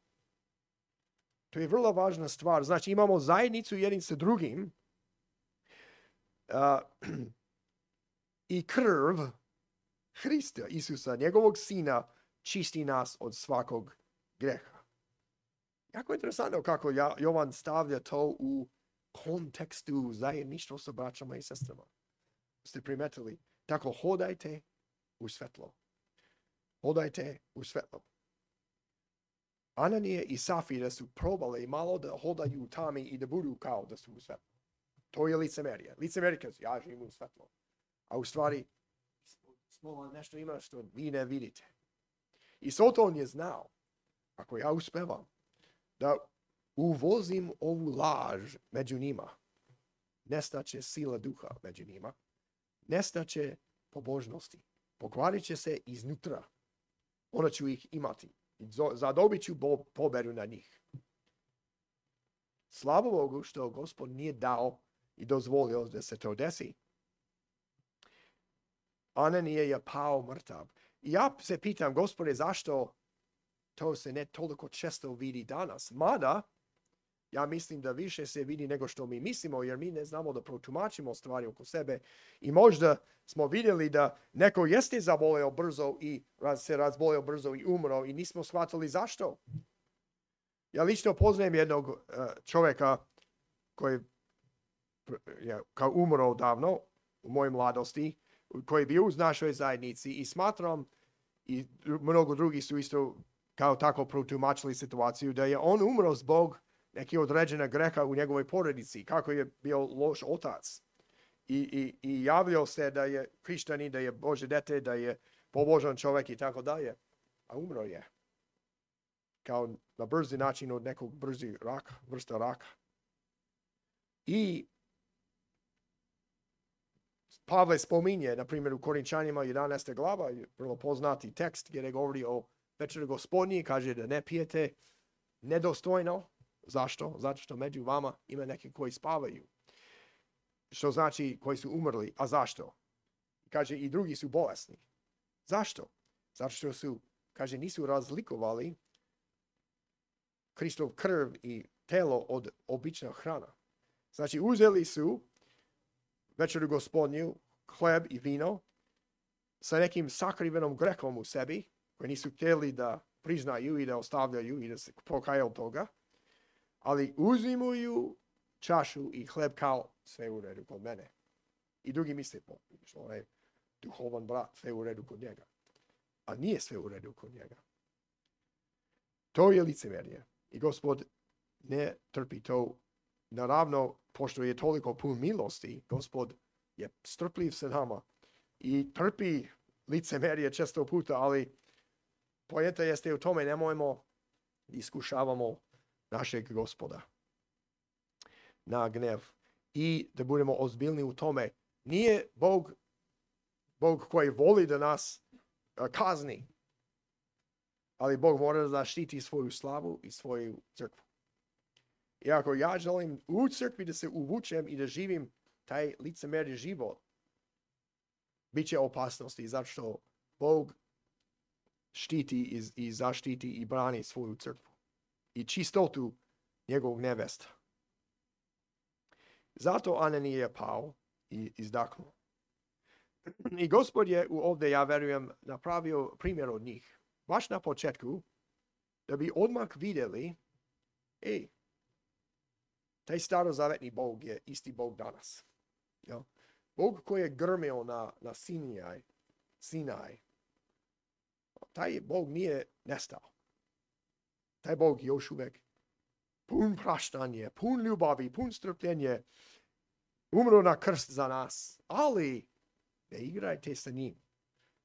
To je vrlo važna stvar. Znači imamo zajednicu jednim sa drugim uh, i krv Hrista, Isusa, njegovog sina, čisti nas od svakog greha. Jako interesantno kako Jovan stavlja to u kontekstu zajedništva sa braćama i sestrama. ste primetili? Tako hodajte u svetlo. Hodajte u svetlo. Ananije i Safira su probale malo da hodaju u tami i da budu kao da su u svetlo. To je licemerija. Licemerija kaže, ja živim u svetlo. A u stvari, smo nešto ima što vi ne vidite. I Soton je znao, ako ja uspevam, da uvozim ovu laž među njima, nestaće sila duha među njima, nestaće pobožnosti, pokvarit će se iznutra. Onda ću ih imati. Zadobit ću pobedu na njih. Slava Bogu što Gospod nije dao i dozvolio da se to desi. Ananije je pao mrtav. I ja se pitam, Gospode, zašto to se ne toliko često vidi danas? Mada, ja mislim da više se vidi nego što mi mislimo, jer mi ne znamo da protumačimo stvari oko sebe. I možda smo vidjeli da neko jeste zaboleo brzo i raz, se razboleo brzo i umro i nismo shvatili zašto. Ja lično poznajem jednog uh, čovjeka koji je kao umro davno u mojoj mladosti, koji je bio uz našoj zajednici i smatram, i mnogo drugi su isto kao tako protumačili situaciju, da je on umro zbog neki određena greha u njegovoj porodici, kako je bio loš otac. I, i, i javljao se da je hrišćanin, da je Bože dete, da je pobožan čovjek i tako dalje. A umro je. Kao na brzi način od nekog brzi raka, vrsta raka. I Pavle spominje, na primjer, u Korinčanima jedanaesta glava, vrlo poznati tekst gdje govori o večeri Gospodnji, kaže da ne pijete nedostojno. Zašto? Zato što među vama ima neki koji spavaju. Što znači koji su umrli. A zašto? Kaže i drugi su bolesni. Zašto? Zato što su, kaže, nisu razlikovali Kristov krv i telo od obična hrana. Znači uzeli su večeru Gospodnju, hleb i vino sa nekim sakrivenom grehom u sebi, koji nisu htjeli da priznaju i da ostavljaju i da se pokaju od toga, ali uzimuju čašu i hleb kao sve u redu kod mene. I drugi misle, što on je duhovan brat, sve u redu kod njega. A nije sve u redu kod njega. To je licemerje. I Gospod ne trpi to. Naravno, pošto je toliko pun milosti, Gospod je strpljiv sa nama i trpi licemerje često puta, ali poenta jeste u tome, nemojmo iskušavamo našeg Gospoda na gnev i da budemo ozbiljni u tome. Nije Bog, Bog koji voli da nas uh, kazni, ali Bog mora da zaštiti svoju slavu i svoju crkvu. I ako ja želim u crkvi da se uvučem i da živim taj licemerni život, bit će opasnosti zato što Bog štiti i, i zaštiti i brani svoju crkvu i čistotu njegovog nevesta. Zato Ananije je pao i izdahnuo. I Gospod je ovdje, ja verujem, napravio primjer od njih. Baš na početku, da bi odmah vidjeli, ej, taj starozavetni Bog je isti Bog danas. Ja? Bog koji je grmio na, na Sinaj, Sinaj, taj Bog nije nestao. Taj Bog još uvijek pun praštanje, pun ljubavi, pun strpljenje, umro na krst za nas. Ali ne igrajte sa njim.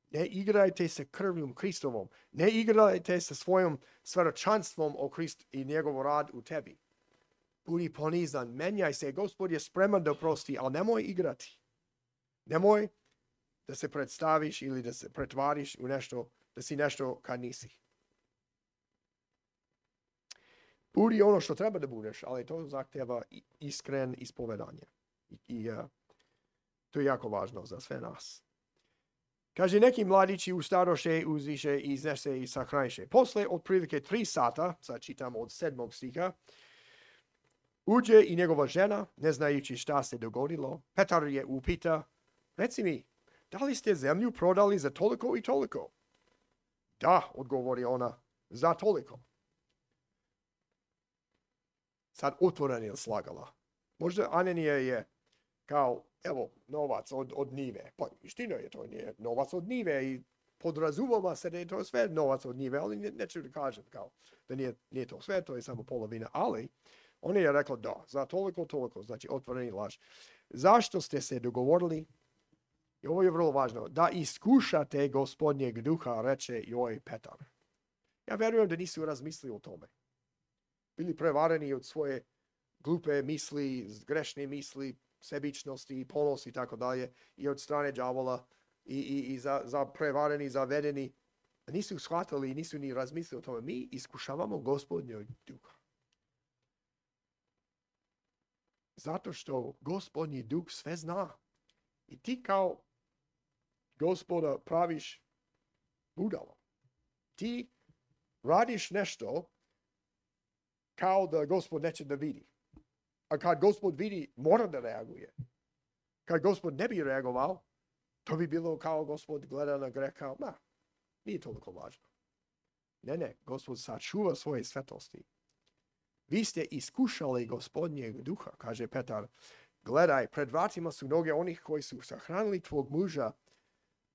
Ne igrajte sa krvljom Kristovom. Ne igrajte sa svojom svjedočanstvom o Kristu i njegov rad u tebi. Budi ponizan, menjaj se, Gospod je spreman da oprosti, ali nemoj igrati. Nemoj da se predstaviš ili da se pretvariš u nešto, da si nešto kad nisi. Budi ono što treba da budeš, ali to zahtjeva iskren ispovedanje. I, i uh, to je jako važno za sve nas. Kaže, neki mladići ustadoše, uziše i iznese i sahraniše. Posle otprilike tri sata, sad čitam od sedmog stiha, uđe i njegova žena, ne znajući šta se dogodilo. Petar je upita, reci mi, da li ste zemlju prodali za toliko i toliko? Da, odgovori ona, za toliko. Sad otvoreno je slagala. Možda Ananija je kao, evo, novac od, od njive. Pa istina je, to nije novac od njive i podrazumava se da je to sve novac od njive, ali ne, neću da kažem kao da nije, nije to sve, to je samo polovina, ali on je rekao da, za toliko, toliko, znači otvoreni laž. Zašto ste se dogovorili, i ovo je vrlo važno, da iskušate gospodnjeg duha, reče joj Petar. Ja verujem da nisu razmislili o tome. Bili prevareni od svoje glupe misli, grešne misli, sebičnosti, ponos i tako dalje, i od strane đavola, i, i, i za, za prevareni, zavedeni. Nisu shvatili, nisu ni razmislili o tome. Mi iskušavamo gospodnjeg duha. Zato što gospodnji duh sve zna. I ti kao gospoda praviš budalo. Ti radiš nešto kao da gospod neće da vidi. A kad gospod vidi, mora da reaguje. Kad gospod ne bi reagovao, to bi bilo kao gospod gleda na greh kao, ma, nije toliko važno. Ne, ne, gospod sačuva svoje svetosti. Vi ste iskušali gospodnjeg duha, kaže Petar. Gledaj, pred vratima su noge onih koji su sahranili tvog muža,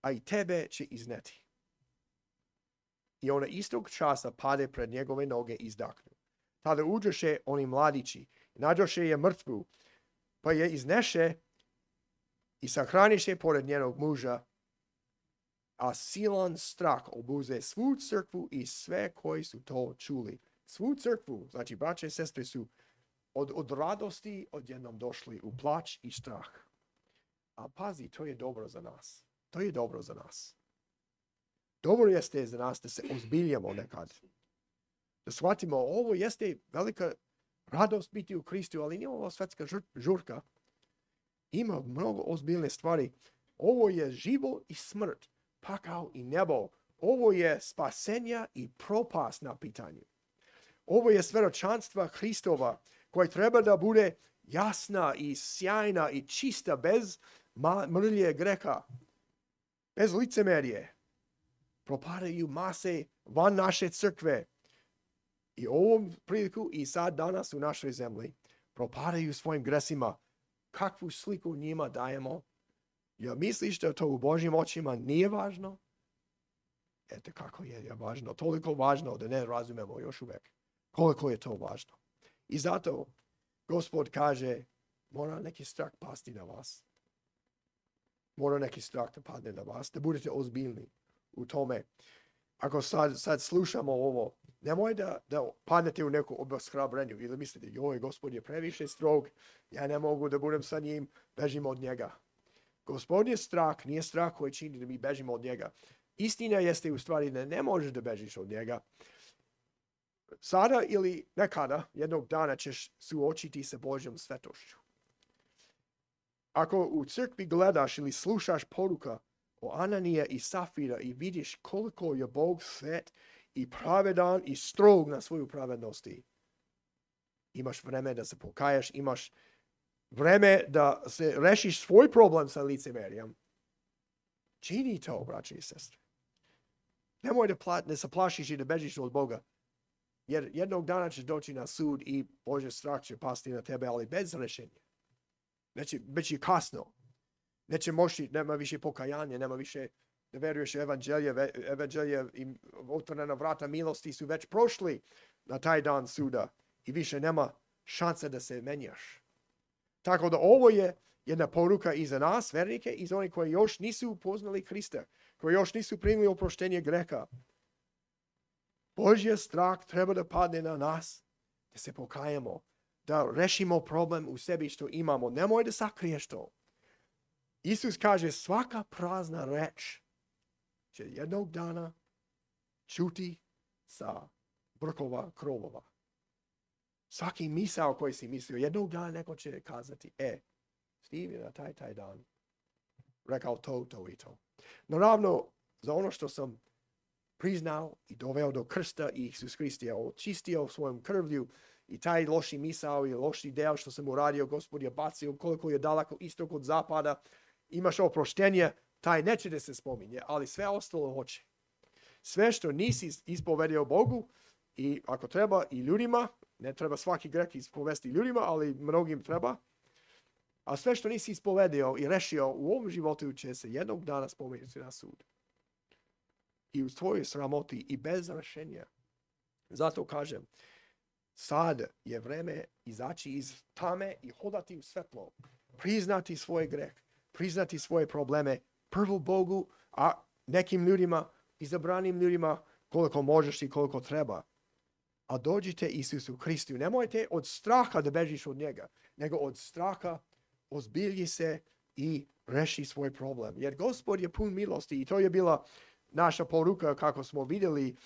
a i tebe će izneti. I ona istog časa pade pred njegove noge i izdahnu. Tada uđoše oni mladići, nađoše je mrtvu, pa je izneše i sahraniše pored njenog muža, a silan strah obuze svu crkvu i sve koji su to čuli. Svu crkvu, znači braće i sestre, su od, od radosti odjednom došli u plač i strah. A pazi, to je dobro za nas. To je dobro za nas. Dobro jeste za nas da se ozbiljamo nekad. Da shvatimo, ovo jeste velika radost biti u Kristu, ali nije ovo svetska žurka. Ima mnogo ozbiljne stvari. Ovo je život i smrt, pakao i nebo. Ovo je spasenja i propast na pitanju. Ovo je svedočanstva Hristova koja treba da bude jasna i sjajna i čista bez mrlje greha, bez licemerije. Propadaju mase van naše crkve. I ovom priliku i sad danas u našoj zemlji propadaju svojim gresima. Kakvu sliku njima dajemo? Jel misliš da to u Božjim očima nije važno? Eto kako je, je važno. Toliko važno da ne razumemo još uvek koliko je to važno. I zato Gospod kaže, mora neki strah pasti na vas. Mora neki strah da padne na vas, da budete ozbiljni u tome. Ako sad, sad slušamo ovo, nemoj da, da padnete u neku obeshrabrenju ili mislite, joj, Gospod je previše strog, ja ne mogu da budem sa njim, bežimo od njega. Gospod je strah, nije strah koji čini da mi bežimo od njega. Istina jeste u stvari da ne možeš da bežiš od njega. Sada ili nekada, jednog dana ćeš suočiti sa Božjom svetošću. Ako u crkvi gledaš ili slušaš poruka o Ananija i Safira i vidiš koliko je Bog svet i pravedan i strog na svoju pravednosti, imaš vreme da se pokajaš, imaš vreme da se rešiš svoj problem sa licemerijem. Čini to, braći i sestre. Nemoj da, pla- da se plašiš i da bežiš od Boga. Jer jednog dana ćeš doći na sud i Božji strah će pasti na tebe, ali bez rešenja. Neće, već je kasno. Neće moći, nema više pokajanja, nema više da veruješ u evanđelje. Evanđelje i otvorena vrata milosti su već prošli na taj dan suda i više nema šanse da se menjaš. Tako da ovo je jedna poruka i za nas, vernike, i za oni koji još nisu upoznali Hrista, koji još nisu primili oproštenje greha. Božji strah treba da padne na nas, da se pokajemo, da rešimo problem u sebi što imamo. Nemoj da sakriješ to. Isus kaže, svaka prazna reč će jednog dana čuti sa vrhova krovova. Svaki misao koji si mislio, jednog dana neko će kazati, e, Steve je na taj, taj dan rekao to, to i to. Naravno, za ono što sam priznao i doveo do krsta i Isus Hrist je očistio svojom krvlju i taj loši misao i loši deo što sam uradio, Gospod je bacio koliko je daleko istok od zapada, imaš oproštenje, taj neće da se spominje, ali sve ostalo hoće. Sve što nisi ispovedio Bogu i ako treba i ljudima, ne treba svaki greh ispovesti ljudima, ali mnogim treba, A sve što nisi ispovedio i rešio u ovom životu će se jednog dana spomenuti na sud. I u tvojoj sramoti i bez rešenja. Zato kažem, sad je vreme izaći iz tame i hodati u svetlo. Priznati svoj greh, priznati svoje probleme, prvo Bogu, a nekim ljudima, izabranim ljudima, koliko možeš i koliko treba. A dođite Isusu Hristu. Nemojte od straha da bežiš od njega, nego od straha ozbilji se i reši svoj problem. Jer Gospod je pun milosti i to je bila naša poruka kako smo vidjeli.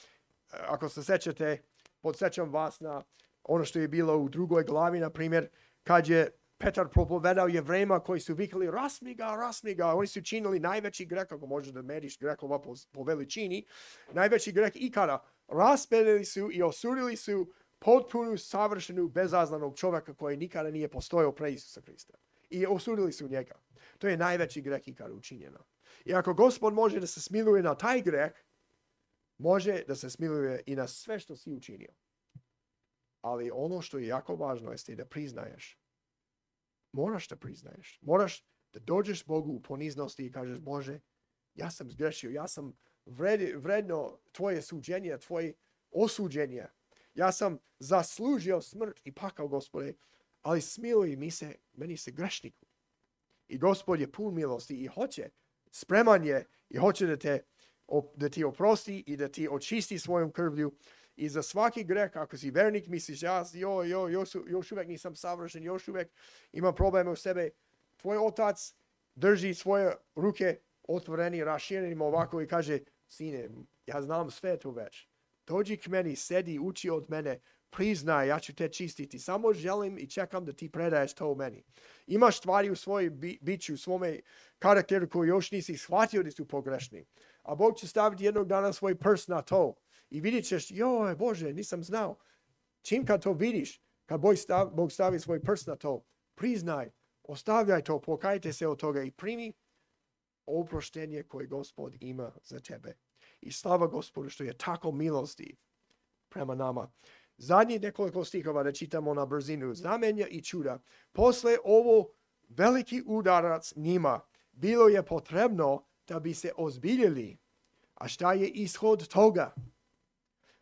Ako se sećate, podsjećam vas na ono što je bilo u drugoj glavi, na primjer, kad je Petar propovedao Jevrejima koji su vikali rasmi ga, rasmi ga. Oni su činili najveći greh, ako možeš da meriš grehova po, po veličini, najveći greh ikada. Raspedili su i osudili su potpunu, savršenu, bezaznanog čovjeka koji nikada nije postojao pre Isusa Hrista. I osudili su njega. To je najveći greh ikada učinjeno. I ako Gospod može da se smiluje na taj greh, može da se smiluje i na sve što si učinio. Ali ono što je jako važno jeste da priznaješ. Moraš da priznaješ. Moraš da dođeš Bogu u poniznosti i kažeš, Bože, ja sam zgrešio, ja sam vred, vredno tvoje suđenje, tvoje osuđenje. Ja sam zaslužio smrt i pakao, Gospode, ali smiluj mi se, meni se grešniku. I Gospod je pun milosti i hoće, spreman je i hoće da, te, da ti oprosti i da ti očisti svojom krvlju. I za svaki greh, ako si vernik, misliš, ja jo, jo, još, još uvijek nisam savršen, još uvijek imam probleme u sebe. Tvoj otac drži svoje ruke otvoreni, raširenim ovako i kaže, sine, ja znam sve to već. Dođi k meni, sedi, uči od mene, priznaj, ja ću te čistiti. Samo želim i čekam da ti predaješ to u meni. Imaš stvari u svojoj bi, biću, u svome karakteru koji još nisi shvatio da su pogrešni. A Bog će staviti jednog dana svoj prst na to. I vidjet ćeš, joj Bože, nisam znao. Čim kad to vidiš, kad Bog stavi, Bog stavi svoj prst na to, priznaj, ostavljaj to, pokajte se od toga i primi oproštenje koje Gospod ima za tebe. I slava Gospodu što je tako milosti prema nama. Zadnji nekoliko stihova da čitamo na brzinu. Znamenja i čuda. Posle ovo veliki udarac njima bilo je potrebno da bi se ozbiljili. A šta je ishod toga?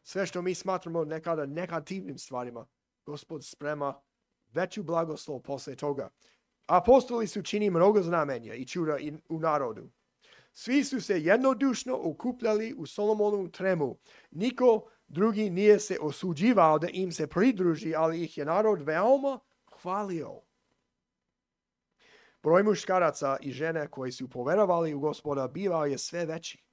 Sve što mi smatramo nekada negativnim stvarima, Gospod sprema veću blagoslov posle toga. Apostoli su čini mnogo znamenja i čuda u narodu. Svi su se jednodušno okupljali u Solomonovu tremu. Niko drugi nije se osuđivao da im se pridruži, ali ih je narod veoma hvalio. Broj muškaraca i žene koji su poverovali u Gospoda bivao je sve veći.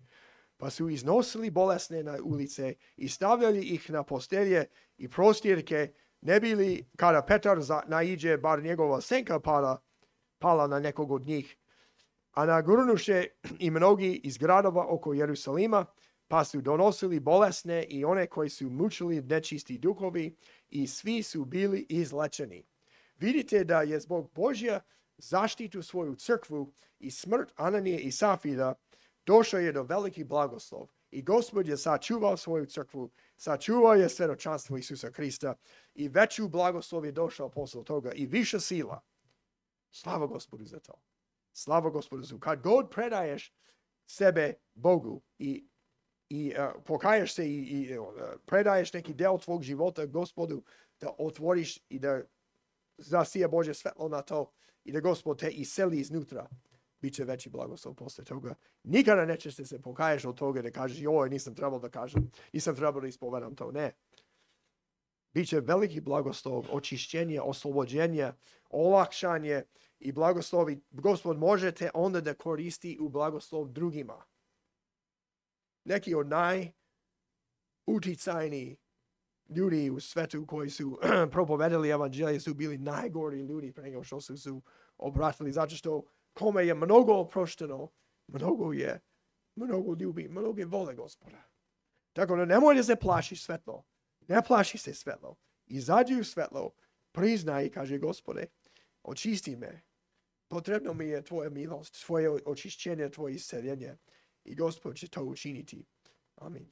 Pa su iznosili bolesne na ulice i stavljali ih na postelje i prostirke, ne bili kada Petar naiđe, bar njegova senka pala, pala na nekog od njih. A nagurnuše i mnogi iz gradova oko Jerusalima, pa su donosili bolesne i one koji su mučili nečisti duhovi i svi su bili izlečeni. Vidite da je zbog Božja zaštitu svoju crkvu i smrt Ananije i Safira došao je do veliki blagoslov. I Gospod je sačuvao svoju crkvu, sačuvao je svjedočanstvo Isusa Hrista i veću blagoslov je došao posle toga i više sila. Slava Gospodu za to. Slava Gospodu za to. Kad god predaješ sebe Bogu i, i uh, pokaješ se i, i uh, predaješ neki del tvog života Gospodu, da otvoriš i da zasija Božje svetlo na to i da Gospod te iseli iznutra, bit će veći blagoslov posle toga. Nikada nećeš se pokaješ od toga da kažeš, joj, nisam trebao da kažem, nisam trebao da ispovedam to. Ne. Biće veliki blagoslov, očišćenje, oslobođenje, olakšanje i blagoslovi. Gospod možete onda da koristi u blagoslov drugima. Neki od najuticajniji ljudi u svetu koji su propovedali evanđelje su bili najgori ljudi pre nego što su se obratili, zato što kome je mnogo oprošteno, mnogo je, mnogo ljubi, mnogo vole Gospoda. Tako da nemoj da se plašiš svetlo. Ne plaši se svetlo. Izađi u svetlo, priznaj i kaže, Gospode, očisti me. Potrebno mi je tvoja milost, tvoje očišćenje, tvoje isceljenje. I Gospod će to učiniti. Amin.